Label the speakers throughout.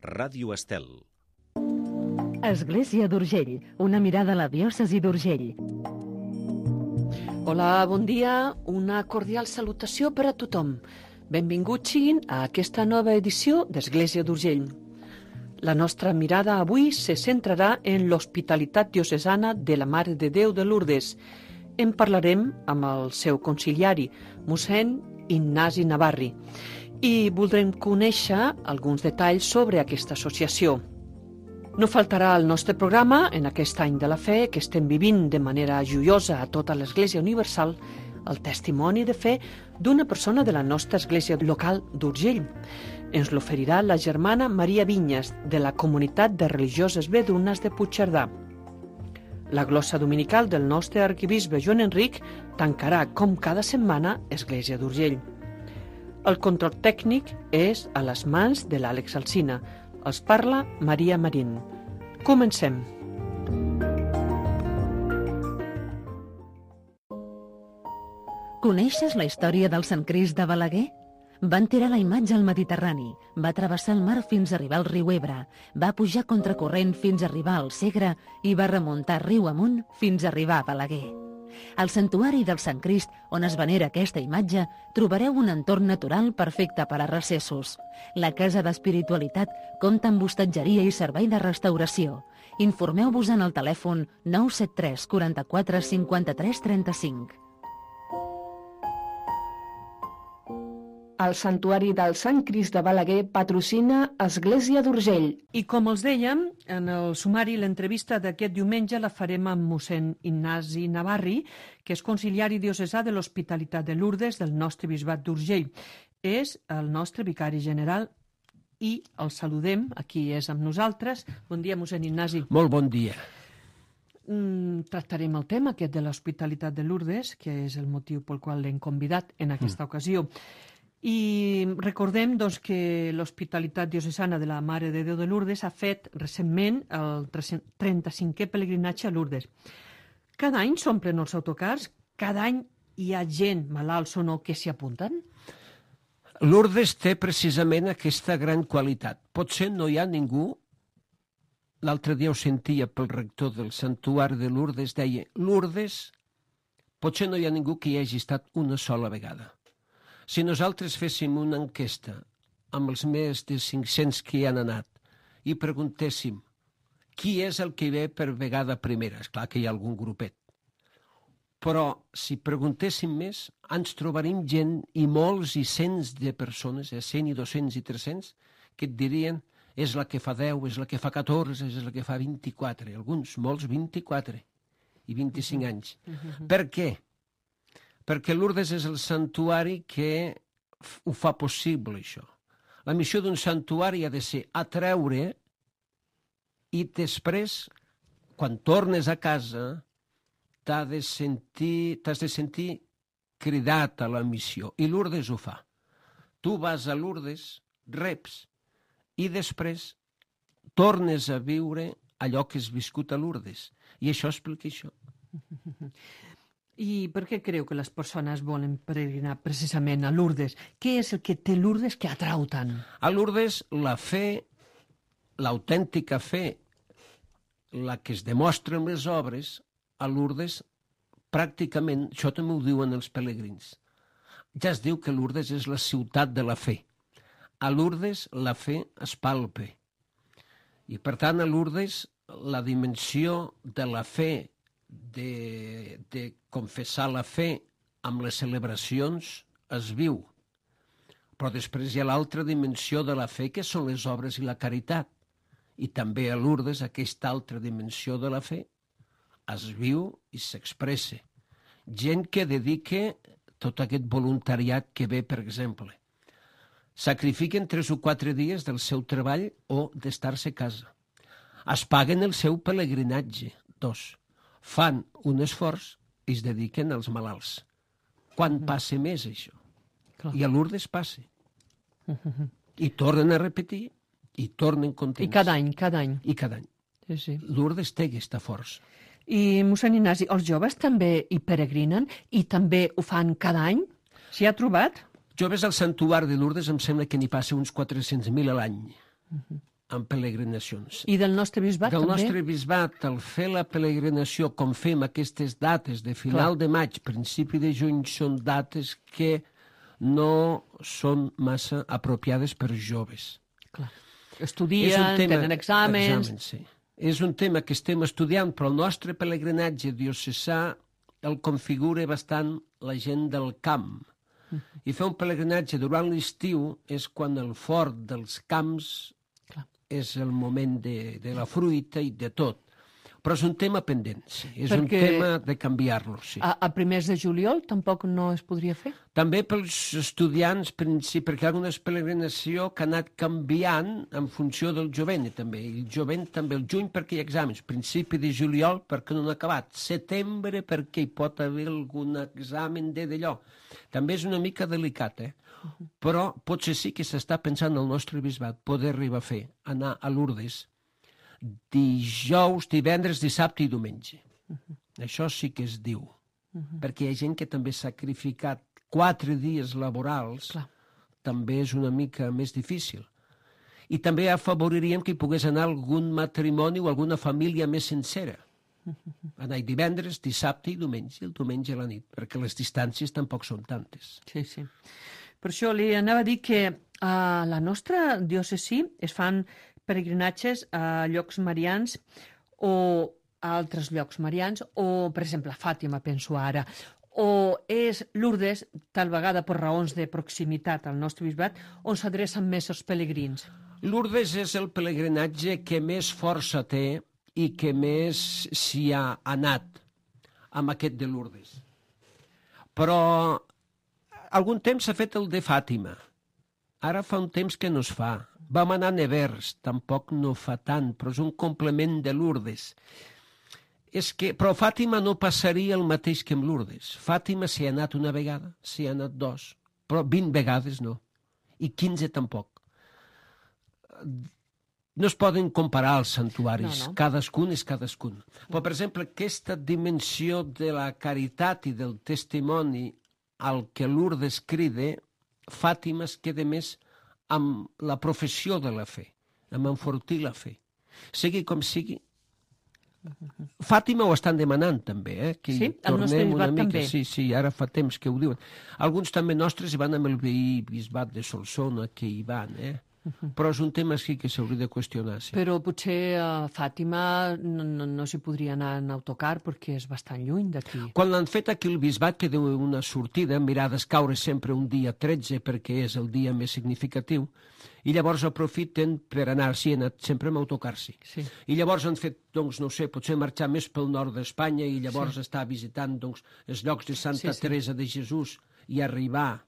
Speaker 1: Ràdio Estel.
Speaker 2: Església d'Urgell, una mirada a la diòcesi d'Urgell.
Speaker 3: Hola, bon dia, una cordial salutació per a tothom. Benvinguts siguin a aquesta nova edició d'Església d'Urgell. La nostra mirada avui se centrarà en l'hospitalitat diocesana de la Mare de Déu de Lourdes. En parlarem amb el seu conciliari, mossèn Ignasi Navarri, i voldrem conèixer alguns detalls sobre aquesta associació. No faltarà al nostre programa, en aquest any de la fe que estem vivint de manera joiosa a tota l'Església Universal, el testimoni de fe d'una persona de la nostra església local d'Urgell. Ens l'oferirà la germana Maria Vinyes, de la comunitat de religioses vedunes de Puigcerdà. La glossa dominical del nostre arquebisbe Joan Enric tancarà, com cada setmana, Església d'Urgell. El control tècnic és a les mans de l'Àlex Alsina. Els parla Maria Marín. Comencem.
Speaker 2: Coneixes la història del Sant Crist de Balaguer? Van tirar la imatge al Mediterrani, va travessar el mar fins a arribar al riu Ebre, va pujar contracorrent fins a arribar al Segre i va remuntar riu amunt fins a arribar a Balaguer. Al santuari del Sant Crist, on es venera aquesta imatge, trobareu un entorn natural perfecte per a recessos. La Casa d'Espiritualitat compta amb hostatgeria i servei de restauració. Informeu-vos en el telèfon 973 44 53 35.
Speaker 4: El Santuari del Sant Crist de Balaguer patrocina Església d'Urgell.
Speaker 3: I com els dèiem, en el sumari l'entrevista d'aquest diumenge la farem amb mossèn Ignasi Navarri, que és conciliari diocesà de l'Hospitalitat de Lourdes del nostre bisbat d'Urgell. És el nostre vicari general i el saludem, aquí és amb nosaltres. Bon dia, mossèn Ignasi.
Speaker 5: Molt bon dia.
Speaker 3: Tractarem el tema aquest de l'Hospitalitat de Lourdes, que és el motiu pel qual l'hem convidat en aquesta ocasió. I recordem doncs, que l'Hospitalitat Diocesana de la Mare de Déu de Lourdes ha fet recentment el 35è pelegrinatge a Lourdes. Cada any s'omplen els autocars? Cada any hi ha gent, malalts o no, que s'hi apunten?
Speaker 5: Lourdes té precisament aquesta gran qualitat. Potser no hi ha ningú, l'altre dia ho sentia pel rector del santuari de Lourdes, deia, Lourdes, potser no hi ha ningú que hi hagi estat una sola vegada. Si nosaltres féssim una enquesta amb els més de 500 que hi han anat i preguntéssim qui és el que hi ve per vegada primera, és clar que hi ha algun grupet, però si preguntéssim més ens trobarem gent i molts i cents de persones, 100 i 200 i 300, que et dirien és la que fa 10, és la que fa 14, és la que fa 24, alguns, molts 24 i 25 anys. Per què? Perquè Lourdes és el santuari que ho fa possible, això. La missió d'un santuari ha de ser atreure i després, quan tornes a casa, t'has de sentir cridat a la missió. I Lourdes ho fa. Tu vas a Lourdes, reps, i després tornes a viure allò que has viscut a Lourdes. I això explica això.
Speaker 3: I per què creu que les persones volen peregrinar precisament a Lourdes? Què és el que té Lourdes que atrau tant?
Speaker 5: A Lourdes la fe, l'autèntica fe, la que es demostra en les obres, a Lourdes pràcticament, això també ho diuen els pelegrins, ja es diu que Lourdes és la ciutat de la fe. A Lourdes la fe es palpa. I per tant a Lourdes la dimensió de la fe, de confessar la fe amb les celebracions es viu. Però després hi ha l'altra dimensió de la fe, que són les obres i la caritat. I també a Lourdes aquesta altra dimensió de la fe es viu i s'expressa. Gent que dedica tot aquest voluntariat que ve, per exemple. Sacrifiquen 3 o 4 dies del seu treball o d'estar-se a casa. Es paguen el seu pelegrinatge, 2. Fan un esforç i es dediquen als malalts. Quan passa més això? I a Lourdes passa. I tornen a repetir i tornen contents.
Speaker 3: I cada any.
Speaker 5: I cada any.
Speaker 3: Sí.
Speaker 5: Lourdes té aquesta força.
Speaker 3: I, mossèn Ignasi, els joves també hi peregrinen i també ho fan cada any? S'hi ha trobat?
Speaker 5: Joves al santuari de Lourdes em sembla que n'hi passa uns 400.000 a l'any. en peregrinacions.
Speaker 3: I del nostre bisbat
Speaker 5: Del
Speaker 3: també?
Speaker 5: nostre bisbat, al fer la peregrinació, com fem aquestes dates de final de maig, principi de juny, són dates que no són massa apropiades per joves.
Speaker 3: Clar. Estudien, tenen exàmens...
Speaker 5: Sí. És un tema que estem estudiant, però el nostre pelegrinatge diocesà el configura bastant la gent del camp. I fer un pelegrinatge durant l'estiu és quan el fort dels camps és el moment de la fruita i de tot. Però és un tema pendent, sí. És un tema de canviar-lo, sí.
Speaker 3: A primers de juliol tampoc no es podria fer?
Speaker 5: També pels estudiants, perquè hi ha una peregrinació que ha anat canviant en funció del jovent, també. I el jovent també, el juny perquè hi ha exàmens, principi de juliol perquè no han acabat, setembre perquè hi pot haver algun examen d'allò. També és una mica delicat, però potser sí que s'està pensant al nostre bisbat poder arribar a fer, anar a Lourdes dijous, divendres, dissabte i diumenge. Això sí que es diu. Perquè hi ha gent que també ha sacrificat 4 dies laborals, també és una mica més difícil. I també afavoriríem que hi pogués anar algun matrimoni o alguna família més sencera. Anar divendres, dissabte i diumenge, el diumenge a la nit, perquè les distàncies tampoc són tantes.
Speaker 3: Sí, sí. Per això li anava a dir que a la nostra diòcesi es fan peregrinatges a llocs marians o a altres llocs marians, o, per exemple, a Fàtima, penso ara, o és Lourdes, tal vegada per raons de proximitat al nostre bisbat, on s'adrecen més els pelegrins.
Speaker 5: Lourdes és el pelegrinatge que més força té i que més s'hi ha anat amb aquest de Lourdes. Però algun temps s'ha fet el de Fàtima. Ara fa un temps que no es fa. Vam anar a Nevers, tampoc no fa tant, però és un complement de Lourdes. Però Fàtima no passaria el mateix que amb Lourdes. Fàtima s'hi ha anat una vegada, s'hi ha anat 2, però 20 vegades no. I 15 tampoc. No es poden comparar els santuaris, no. Cadascun és cadascun. Però, per exemple, aquesta dimensió de la caritat i del testimoni al que Lourdes crida, Fàtima es queda més amb la professió de la fe, amb enfortir la fe. Sigui com sigui, Fàtima ho estan demanant també, que
Speaker 3: sí, el nostre bisbat també.
Speaker 5: Sí, ara fa temps que ho diuen. Alguns també nostres hi van amb el veí bisbat de Solsona, que hi van, però és un tema sí que s'hauria de qüestionar. Sí.
Speaker 3: Però potser a Fàtima no s'hi podria anar en autocar perquè és bastant lluny d'aquí.
Speaker 5: Quan l'han fet aquí el bisbat, que deu una sortida, mirades caure sempre un dia 13 perquè és el dia més significatiu, i llavors aprofiten per anar, sí, han anat sempre amb autocar, sí. I llavors han fet, doncs, no sé, potser marxar més pel nord d'Espanya i llavors estar visitant, doncs, els llocs de Santa Teresa de Jesús i arribar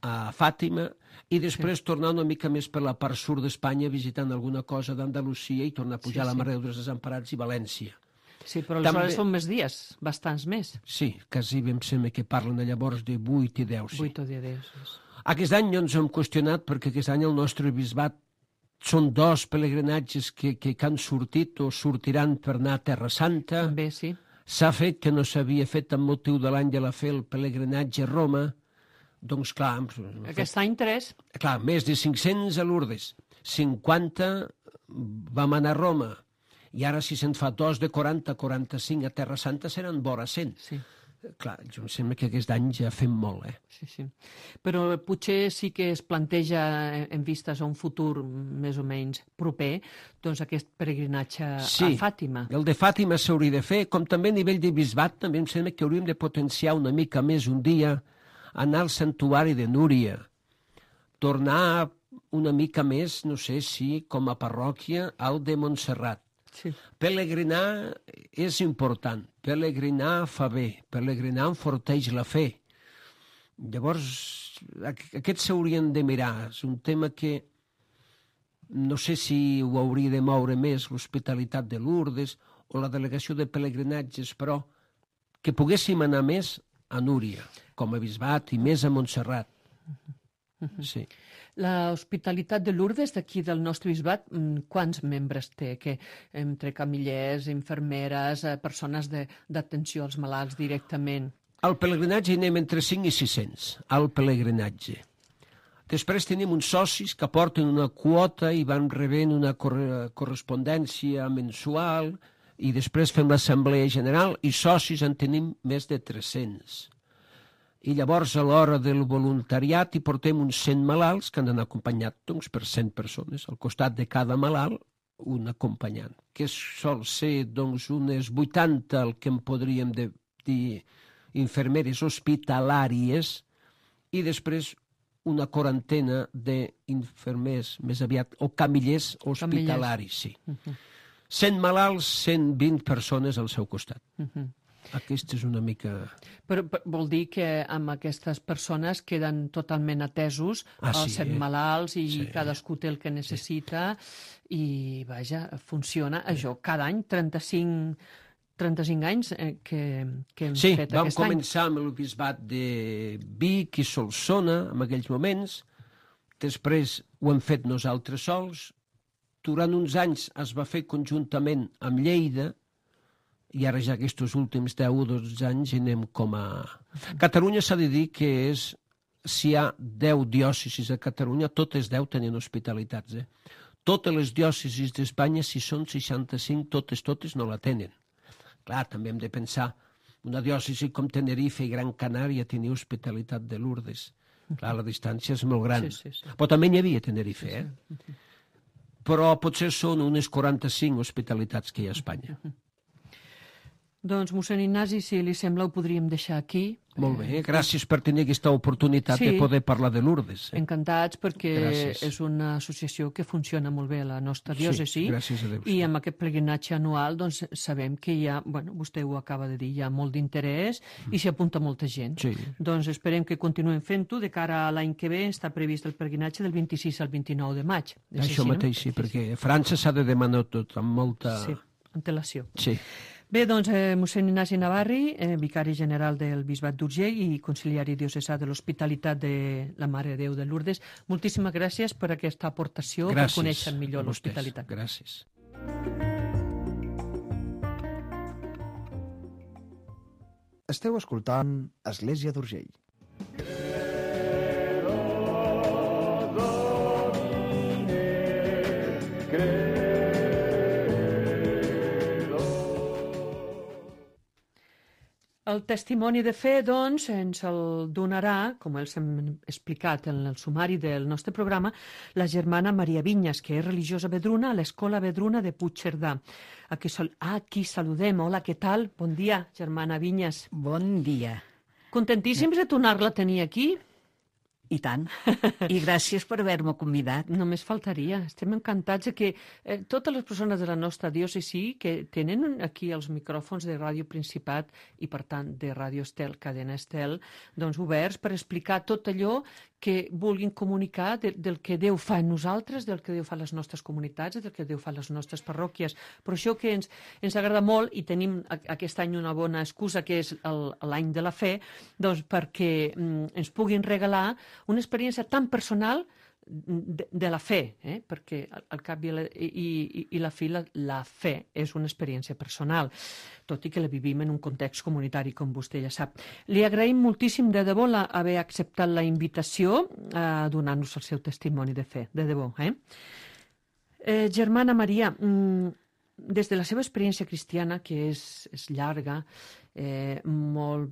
Speaker 5: a Fàtima, i després tornar una mica més per la part sud d'Espanya visitant alguna cosa d'Andalusia i tornar a pujar a la Mare dels Desemparats i València.
Speaker 3: Sí, però aleshores són més dies, bastants més.
Speaker 5: Sí, quasi em sembla que parlen llavors de 8 i 10. Sí.
Speaker 3: 8 o 10.
Speaker 5: Aquest any no ens hem qüestionat perquè aquest any el nostre bisbat són 2 pelegrinatges que han sortit o sortiran per anar a Terra Santa.
Speaker 3: També, sí.
Speaker 5: S'ha fet, que no s'havia fet amb motiu de l'any de la fe, el pelegrinatge a Roma. Doncs clar...
Speaker 3: Aquest any 3.
Speaker 5: Clar, més de 500 a Lourdes, 50 vam anar a Roma, i ara si se'n fa 2 de 40, 45 a Terra Santa seran vora 100. Sí. Clar, jo em sembla que aquest any ja fem molt,
Speaker 3: Sí. Però potser sí que es planteja en vistes a un futur més o menys proper, doncs aquest peregrinatge a Fàtima.
Speaker 5: El de Fàtima s'hauria de fer, com també a nivell de bisbat, també em sembla que hauríem de potenciar una mica més un dia, anar al santuari de Núria, tornar una mica més, no sé si com a parròquia, al de Montserrat.
Speaker 3: Sí.
Speaker 5: Pelegrinar és important, pelegrinar fa bé, pelegrinar enforteix la fe. Llavors, aquests s'haurien de mirar. És un tema que no sé si ho hauria de moure més, l'Hospitalitat de Lourdes o la delegació de pelegrinatges, però que poguéssim anar més a Núria, com a bisbat, i més a Montserrat. Sí.
Speaker 3: L'Hospitalitat de Lourdes d'aquí del nostre bisbat, quants membres té? Que entre camillers, infermeres, persones d'atenció als malalts directament?
Speaker 5: Al pelegrinatge anem entre 5 i 600, al pelegrinatge. Després tenim uns socis que aporten una quota i van rebent una correspondència mensual i després fem l'assemblea general i socis en tenim més de 300. I llavors a l'hora del voluntariat hi portem uns 100 malalts que han d'anar acompanyats doncs, per 100 persones. Al costat de cada malalt un acompanyant, que sol ser doncs, unes 80 el que en podríem dir infermeres hospitalàries i després una quarantena d'infermers, més aviat, o camillers hospitalaris, sí. 100 malalts, 120 persones al seu costat. Aquesta és una mica...
Speaker 3: Però vol dir que amb aquestes persones queden totalment atesos els 100 malalts i cadascú té el que necessita i, vaja, funciona. Això, cada any, 35 anys que hem fet aquest any.
Speaker 5: Sí, vam començar amb el bisbat de Vic i Solsona en aquells moments, després ho hem fet nosaltres sols, durant uns anys es va fer conjuntament amb Lleida i ara ja aquests últims 10 o 12 anys anem com a... Catalunya s'ha de dir que és, si hi ha 10 diòcesis a Catalunya, totes 10 tenen hospitalitats. Totes les diòcesis d'Espanya, si són 65, totes no la tenen. Clar, també hem de pensar, una diòcesi com Tenerife i Gran Canària tenia hospitalitat de Lourdes. Clar, la distància és molt gran. Però també n'hi havia a Tenerife, Però potser són unes 45 hospitalitats que hi ha a Espanya.
Speaker 3: Doncs, mossèn Ignasi, si li sembla, ho podríem deixar aquí.
Speaker 5: Molt bé, gràcies per tenir aquesta oportunitat de poder parlar de Lourdes.
Speaker 3: Encantats, perquè és una associació que funciona molt bé a la nostra diòcesi.
Speaker 5: Gràcies a Déu.
Speaker 3: I amb aquest pelegrinatge anual doncs, sabem que hi ha, bueno, vostè ho acaba de dir, hi ha molt d'interès i s'hi apunta molta gent. Doncs esperem que continuem fent-ho. De cara a l'any que ve està previst el pelegrinatge del 26 al 29 de maig.
Speaker 5: Això mateix, sí, perquè a França s'ha de demanar tot amb molta...
Speaker 3: Sí, antelació.
Speaker 5: Sí.
Speaker 3: Bé, doncs, mossèn Ignasi Navarri, vicari general del Bisbat d'Urgell i conciliari diocesà de l'Hospitalitat de la Mare de Déu de Lourdes, moltíssimes gràcies per aquesta aportació, per conèixer millor l'hospitalitat.
Speaker 5: Gràcies.
Speaker 1: Esteu escoltant Església d'Urgell.
Speaker 3: El testimoni de fe, doncs, ens el donarà, com els hem explicat en el sumari del nostre programa, la germana Maria Vinyes, que és religiosa vedruna a l'Escola Vedruna de Puigcerdà. A qui saludem. Hola, què tal? Bon dia, germana Vinyes.
Speaker 6: Bon dia.
Speaker 3: Contentíssims de tornar-la a tenir aquí?
Speaker 6: I tant. I gràcies per haver-me convidat.
Speaker 3: Només faltaria. Estem encantats que totes les persones de la nostra diòcesi que tenen aquí els micròfons de Ràdio Principat i, per tant, de Ràdio Estel, Cadena Estel, doncs oberts per explicar tot allò que vulguin comunicar del que Déu fa en nosaltres, del que Déu fa a les nostres comunitats, del que Déu fa a les nostres parròquies. Per això que ens agrada molt, i tenim aquest any una bona excusa, que és l'any de la fe, doncs perquè ens puguin regalar una experiència tan personal de la fe, perquè al cap i la fi la fe és una experiència personal, tot i que la vivim en un context comunitari, com vostè ja sap. Li agraïm moltíssim de debò haver acceptat la invitació a donar-nos el seu testimoni de fe, de debò. Germana Maria, des de la seva experiència cristiana, que és llarga, molt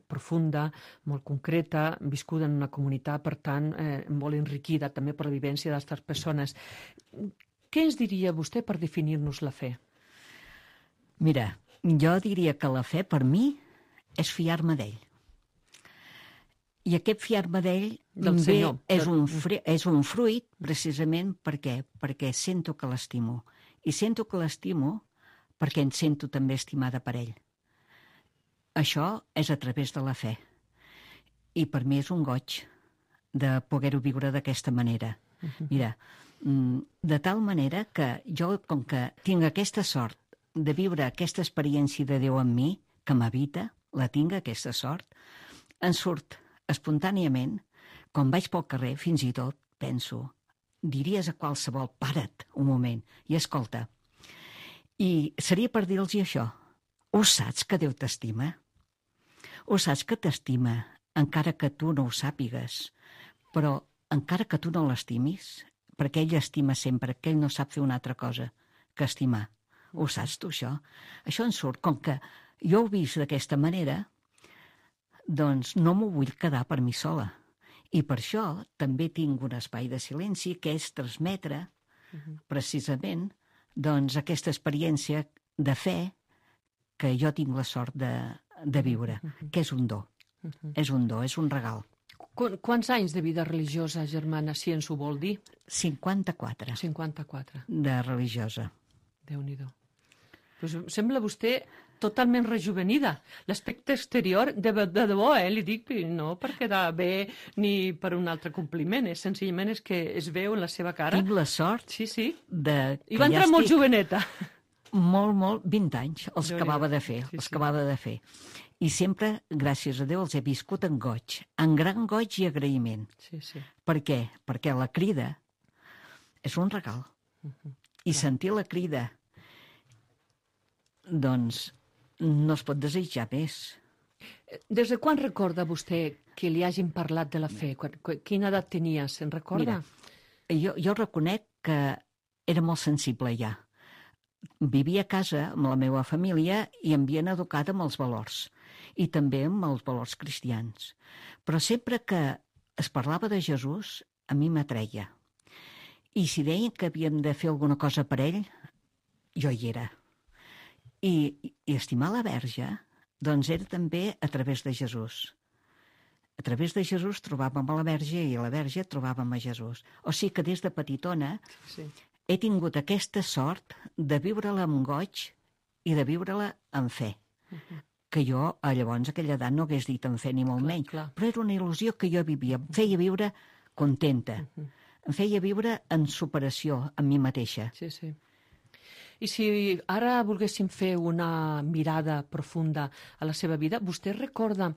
Speaker 3: profunda, molt concreta, viscuda en una comunitat, per tant, molt enriquida també per la vivència d'altres persones. Què ens diria vostè per definir-nos la fe?
Speaker 6: Mira, jo diria que la fe per mi és fiar-me d'ell. I aquest fiar-me d'ell és un fruit precisament perquè sento que l'estimo. I sento que l'estimo perquè em sento també estimada per ell. Això és a través de la fe. I per mi és un goig de poder-ho viure d'aquesta manera. Mira, de tal manera que jo, com que tinc aquesta sort de viure aquesta experiència de Déu en mi, que m'habita, la tinc, aquesta sort, em surt espontàniament, quan vaig pel carrer, fins i tot, penso, diries a qualsevol, para't un moment i escolta. I seria per dir-los això. Ho saps que Déu t'estima? Ho saps que t'estima, encara que tu no ho sàpigues? Però encara que tu no l'estimis, perquè ell estima sempre, que ell no sap fer una altra cosa que estimar. Ho saps tu, això? Això en surt. Com que jo ho he vist d'aquesta manera, doncs no m'ho vull quedar per mi sola. I per això també tinc un espai de silenci que és transmetre precisament doncs, aquesta experiència de fe que jo tinc la sort de viure, que és un do. És un do, és un regal.
Speaker 3: Quants anys de vida religiosa, germana, si ens ho vol dir?
Speaker 6: 54.
Speaker 3: 54.
Speaker 6: De religiosa.
Speaker 3: Déu-n'hi-do. Pues sembla vostè totalment rejuvenida. L'aspecte exterior, de debò, li dic, no per quedar bé ni per un altre compliment, senzillament és que es veu en la seva cara.
Speaker 6: Tinc la sort
Speaker 3: de... I va entrar molt joveneta.
Speaker 6: Molt, 20 anys, els acabava de fer, acabava de fer. I sempre, gràcies a Déu, els he viscut en goig, en gran goig i agraïment. Per què? Perquè la crida és un regal. I sentir la crida, doncs, no es pot desitjar més.
Speaker 3: Des de quan recorda vostè que li hagin parlat de la fe? Quina edat tenia, se'n recorda?
Speaker 6: Mira, jo reconec que era molt sensible ja. Vivia a casa amb la meva família i em havien educat amb els valors, i també amb els valors cristians. Però sempre que es parlava de Jesús, a mi m'atreia. I si deien que havíem de fer alguna cosa per ell, jo hi era. I estimar la Verge, doncs era també a través de Jesús. A través de Jesús trobàvem a la Verge i a la Verge trobàvem a Jesús. O sigui que des de petitona he tingut aquesta sort de viure-la amb goig i de viure-la amb fe. Que jo, llavors, a aquella edat no hagués dit en fe ni molt menys. Però era una il·lusió que jo vivia. Em feia viure contenta. Em feia viure en superació amb mi mateixa.
Speaker 3: I si ara volguéssim fer una mirada profunda a la seva vida, vostè recorda,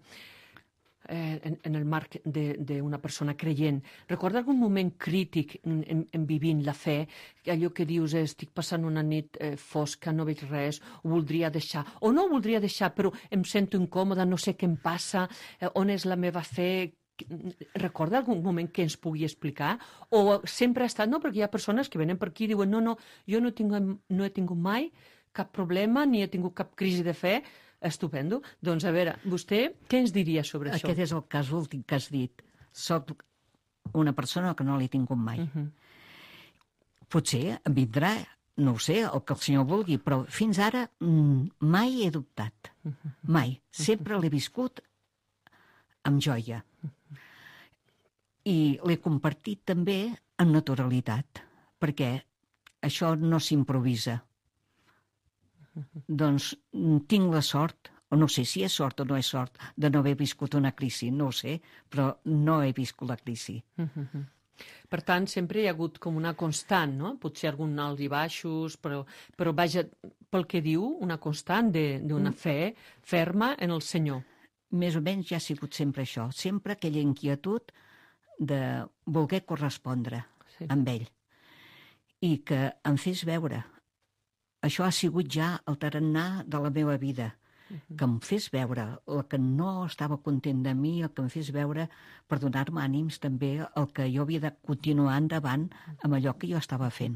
Speaker 3: en el marc d'una persona creient, recorda algun moment crític en vivint la fe, allò que dius, estic passant una nit fosca, no veig res, ho voldria deixar, o no ho voldria deixar, però em sento incòmoda, no sé què em passa, on és la meva fe? Recorda algun moment que ens pugui explicar? O sempre ha estat, no? Perquè hi ha persones que venen per aquí i diuen no, jo no he tingut mai cap problema, ni he tingut cap crisi de fe. Estupendo. Doncs a veure, vostè què ens diria sobre això?
Speaker 6: Aquest és el cas últim que has dit. Soc una persona que no l'he tingut mai. Potser em vindrà, no ho sé, el que el senyor vulgui, però fins ara mai he dubtat. Mai. Sempre l'he viscut amb joia. I l'he compartit també amb naturalitat, perquè això no s'improvisa. Doncs tinc la sort, o no sé si és sort o no és sort, de no haver viscut una crisi, no ho sé, però no he viscut la crisi.
Speaker 3: Per tant, sempre hi ha hagut com una constant, no? Potser algun alts i baixos, però vaja, pel que diu, una constant d'una fe ferma en el Senyor.
Speaker 6: Més o menys ja ha sigut sempre això, sempre aquella inquietud de voler correspondre amb ell i que em fes veure. Això ha sigut ja el tarannà de la meva vida, que em fes veure el que no estava content de mi, el que em fes veure per donar-me ànims també el que jo havia de continuar endavant amb allò que jo estava fent.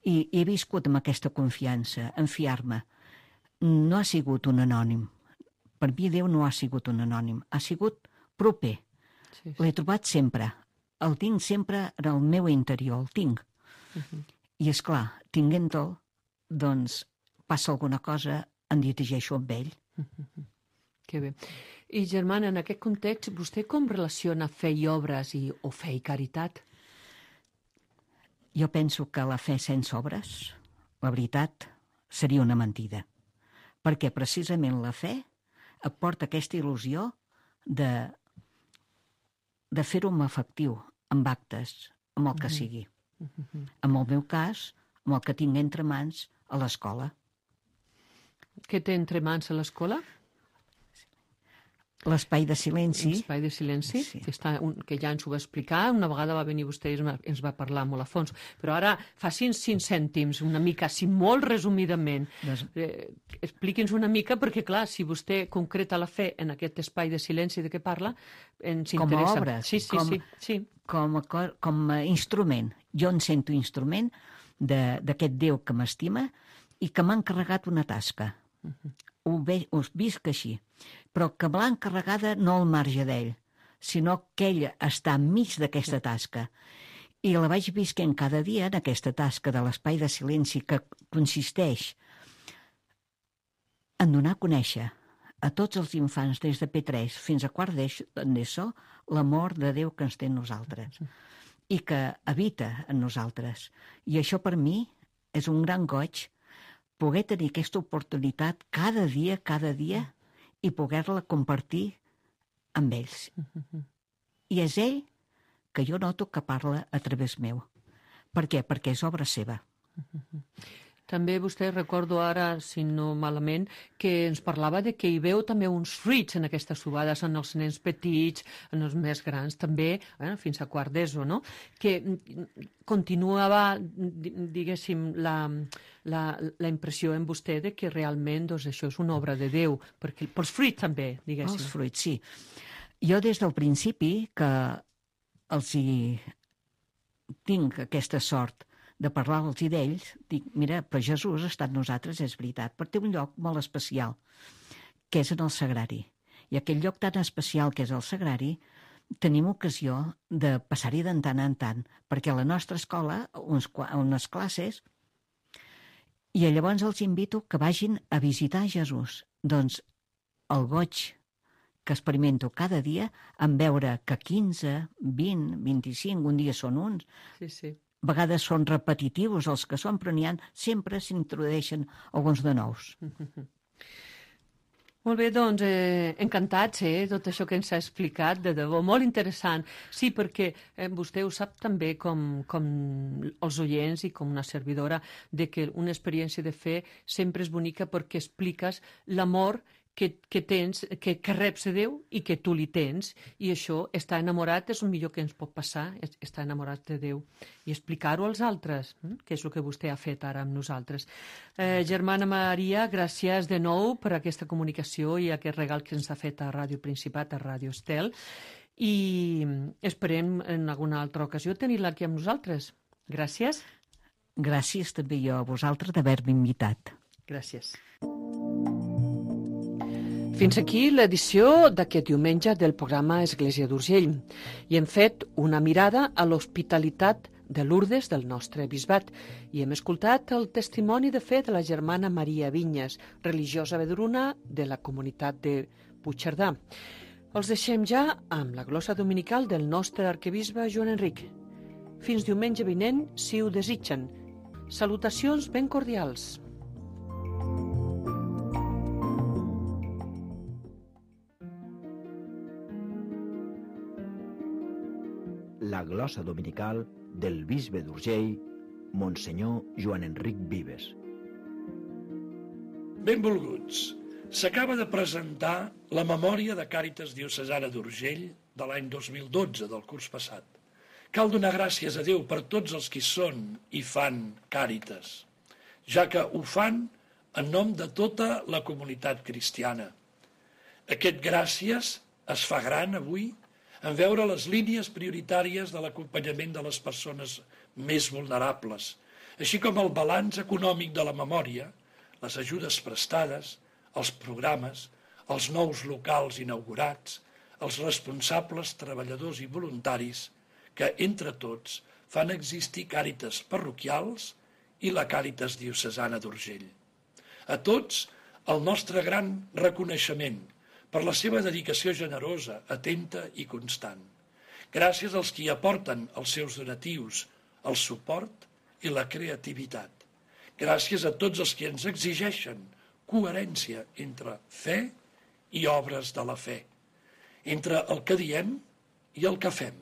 Speaker 6: I he viscut amb aquesta confiança, en fiar-me. No ha sigut un anònim. Per mi Déu no ha sigut un anònim, ha sigut proper. L'he trobat sempre, el tinc sempre en el meu interior, el tinc. I és clar, tinguent-el, doncs passa alguna cosa, em dirigeixo amb ell.
Speaker 3: Que bé. I, germana, en aquest context, vostè com relaciona fe i obres o fe i caritat?
Speaker 6: Jo penso que la fe sense obres, la veritat, seria una mentida. Perquè precisament la fe et porta aquesta il·lusió de fer-ho amb efectiu, amb actes, amb el que sigui. En el meu cas, amb el que tinc entre mans a l'escola.
Speaker 3: Què té entre mans a l'escola?
Speaker 6: L'espai de silenci.
Speaker 3: L'espai de silenci,
Speaker 6: Sí.
Speaker 3: que ja ens ho va explicar, una vegada va venir vostè i ens va parlar molt a fons. Però ara, facin 5 cèntims, una mica, si molt resumidament. Expliqui'ns una mica, perquè clar, si vostè concreta la fe en aquest espai de silenci de què parla, ens interessa.
Speaker 6: Com a obres.
Speaker 3: Sí.
Speaker 6: Com a instrument. Jo em sento instrument d'aquest Déu que m'estima i que m'ha encarregat una tasca. Ho visc així, però que me l'ha encarregada no al marge d'ell, sinó que ell està enmig d'aquesta tasca. I la vaig visquent cada dia en aquesta tasca de l'espai de silenci que consisteix en donar a conèixer a tots els infants des de P3 fins a quart d'ESO l'amor de Déu que ens té en nosaltres i que habita en nosaltres. I això per mi és un gran goig poder tenir aquesta oportunitat cada dia i poder-la compartir amb ells. I és ell que jo noto que parla a través meu. Per què? Perquè és obra seva.
Speaker 3: També vostè, recordo ara, si no malament, que ens parlava de que hi veu també uns fruits en aquestes trobades, en els nens petits, en els més grans també, fins a quart d'ESO, no? Que continuava, diguéssim, la impressió en vostè de que realment doncs, això és una obra de Déu, perquè pels fruits també, diguéssim.
Speaker 6: Els fruits, sí. Jo des del principi que els hi tinc aquesta sort de parlar-los d'ells, dic, mira, però Jesús està amb nosaltres, és veritat, però té un lloc molt especial, que és en el sagrari. I aquell lloc tan especial que és el sagrari, tenim ocasió de passar-hi de tant en tant, perquè a la nostra escola, unes classes, i llavors els invito que vagin a visitar Jesús. Doncs el goig que experimento cada dia en veure que 15, 20, 25, un dia són uns,
Speaker 3: sí.
Speaker 6: A vegades són repetitius els que són, però sempre s'introdueixen alguns de nous.
Speaker 3: Molt bé, doncs, encantats, tot això que ens ha explicat, de debò, molt interessant. Sí, perquè vostè ho sap també com els oients i com una servidora, de que una experiència de fe sempre és bonica perquè expliques l'amor que tens, que reps de Déu i que tu li tens, i això, estar enamorat és el millor que ens pot passar, estar enamorat de Déu, i explicar-ho als altres, que és el que vostè ha fet ara amb nosaltres. Germana Maria, gràcies de nou per aquesta comunicació i aquest regal que ens ha fet a Ràdio Principat, a Ràdio Estel, i esperem en alguna altra ocasió tenir-la aquí amb nosaltres. Gràcies.
Speaker 6: Gràcies també jo a vosaltres d'haver-me invitat.
Speaker 3: Gràcies. Fins aquí l'edició d'aquest diumenge del programa Església d'Urgell i hem fet una mirada a l'hospitalitat de Lourdes del nostre bisbat i hem escoltat el testimoni de fe de la germana Maria Vinyes, religiosa vedruna de la comunitat de Puigcerdà. Els deixem ja amb la glosa dominical del nostre arquebisbe Joan Enric. Fins diumenge vinent, si ho desitgen. Salutacions ben cordials.
Speaker 1: La glosa dominical del bisbe d'Urgell, Monsenyor Joan Enric Vives.
Speaker 7: Benvolguts. S'acaba de presentar la memòria de Càritas Diocesana d'Urgell de l'any 2012, del curs passat. Cal donar gràcies a Déu per tots els que són i fan Càritas, ja que ho fan en nom de tota la comunitat cristiana. Aquest gràcies es fa gran avui en veure les línies prioritàries de l'acompanyament de les persones més vulnerables, així com el balanç econòmic de la memòria, les ajudes prestades, els programes, els nous locals inaugurats, els responsables, treballadors i voluntaris que, entre tots, fan existir Càritas parroquials i la Càritas diocesana d'Urgell. A tots, el nostre gran reconeixement per la seva dedicació generosa, atenta i constant. Gràcies als qui aporten els seus donatius, el suport i la creativitat. Gràcies a tots els que ens exigeixen coherència entre fe i obres de la fe, entre el que diem i el que fem,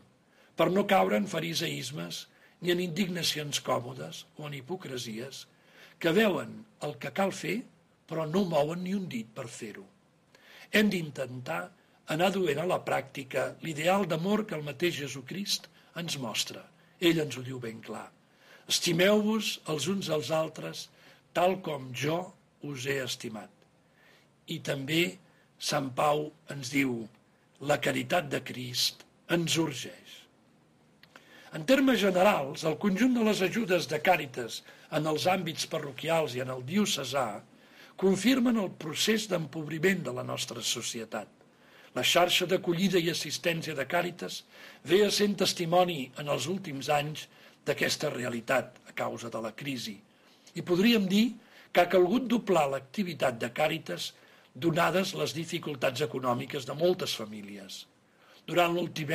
Speaker 7: per no caure en fariseismes ni en indignacions còmodes o en hipocresies que veuen el que cal fer però no mouen ni un dit per fer-ho. Hem d'intentar anar duent a la pràctica l'ideal d'amor que el mateix Jesucrist ens mostra. Ell ens ho diu ben clar. Estimeu-vos els uns als altres tal com jo us he estimat. I també Sant Pau ens diu: la caritat de Crist ens urgeix. En termes generals, el conjunt de les ajudes de Càritas en els àmbits parroquials i en el diocesà confirmen el procés d'empobriment de la nostra societat. La xarxa d'acollida i assistència de Càritas ve sent testimoni en els últims anys d'aquesta realitat a causa de la crisi. I podríem dir que ha calgut doblar l'activitat de Càritas donades les dificultats econòmiques de moltes famílies. Durant l'últim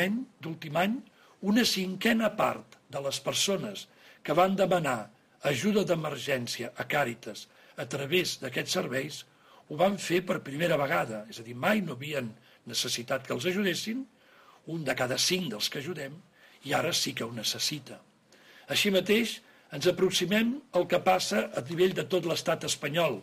Speaker 7: any, una cinquena part de les persones que van demanar ajuda d'emergència a Càritas a través d'aquests serveis ho van fer per primera vegada, és a dir, mai no havien necessitat que els ajudessin, 1 de cada 5 dels que ajudem, i ara sí que ho necessita. Així mateix, ens aproximem al que passa a nivell de tot l'estat espanyol.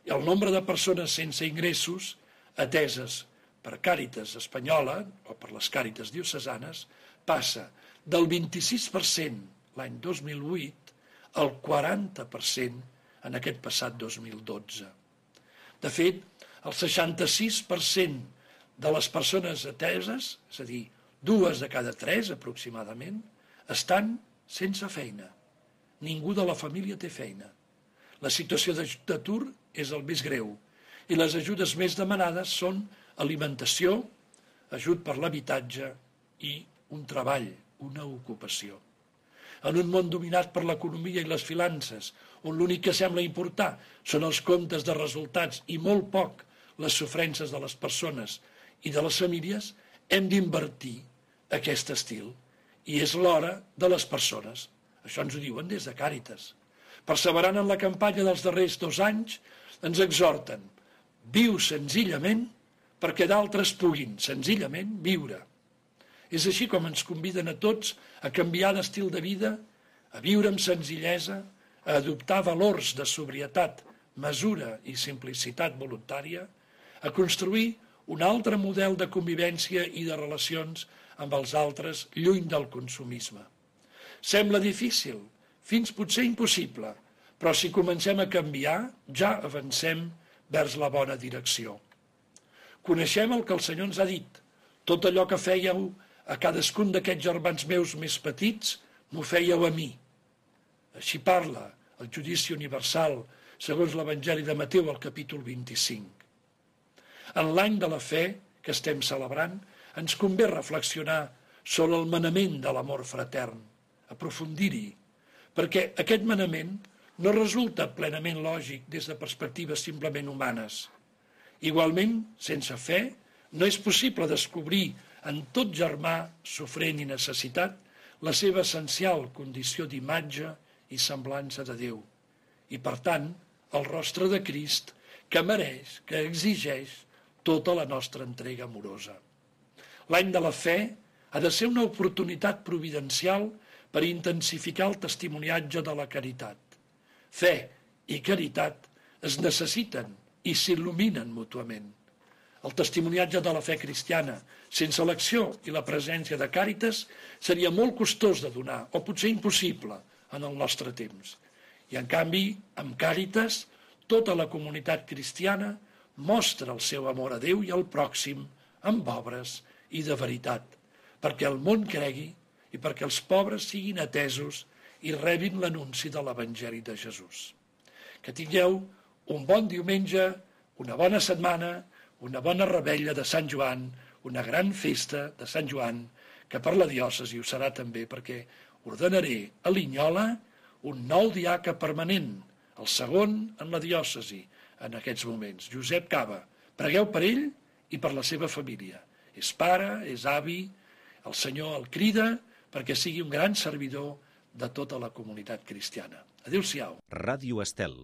Speaker 7: El nombre de persones sense ingressos ateses per Càritas espanyola o per les Càritas diocesanes passa del 26% l'any 2008 al 40% en aquest passat 2012. De fet, el 66% de les persones ateses, és a dir, 2 de cada 3 aproximadament, estan sense feina. Ningú de la família té feina. La situació d'atur és el més greu i les ajudes més demanades són alimentació, ajut per l'habitatge i un treball, una ocupació. En un món dominat per l'economia i les finances, on l'únic que sembla importar són els comptes de resultats i molt poc les sofrences de les persones i de les famílies, hem d'invertir aquest estil. I és l'hora de les persones. Això ens ho diuen des de Càritas. Perseverant en la campanya dels darrers 2 anys, ens exhorten: viu senzillament perquè d'altres puguin senzillament viure. És així com ens conviden a tots a canviar d'estil de vida, a viure amb senzillesa, a adoptar valors de sobrietat, mesura i simplicitat voluntària, a construir un altre model de convivència i de relacions amb els altres lluny del consumisme. Sembla difícil, fins potser impossible, però si comencem a canviar, ja avancem vers la bona direcció. Coneixem el que el Senyor ens ha dit. Tot allò que fèieu a cadascun d'aquests germans meus més petits, m'ho fèieu a mi. Així parla el judici universal, segons l'Evangeli de Mateu, al capítol 25. En l'any de la fe que estem celebrant, ens convé reflexionar sobre el manament de l'amor fratern, aprofundir-hi, perquè aquest manament no resulta plenament lògic des de perspectives simplement humanes. Igualment, sense fe, no és possible descobrir en tot germà sofrent i necessitat la seva essencial condició d'imatge i semblança de Déu, i per tant, el rostre de Crist que mereix, que exigeix tota la nostra entrega amorosa. L'any de la fe ha de ser una oportunitat providencial per intensificar el testimoniatge de la caritat. Fe i caritat es necessiten i s'il·luminen mútuament. El testimoniatge de la fe cristiana, sense l'acció i la presència de Càritas, seria molt costós de donar, o potser impossible, en el nostre temps. I en canvi, amb Càritas, tota la comunitat cristiana mostra el seu amor a Déu i al pròxim amb obres i de veritat, perquè el món cregui i perquè els pobres siguin atesos i rebin l'anunci de l'Evangeli de Jesús. Que tingueu un bon diumenge, una bona setmana, una bona revetlla de Sant Joan, una gran festa de Sant Joan, que per la diòcesi ho serà també perquè ordenaré a Linyola un nou diaca permanent, el segon en la diòcesi en aquests moments, Josep Cava. Pregueu per ell i per la seva família. És pare, és avi, el Senyor el crida perquè sigui un gran servidor de tota la comunitat cristiana. Adéu-siau.
Speaker 8: Ràdio Estel,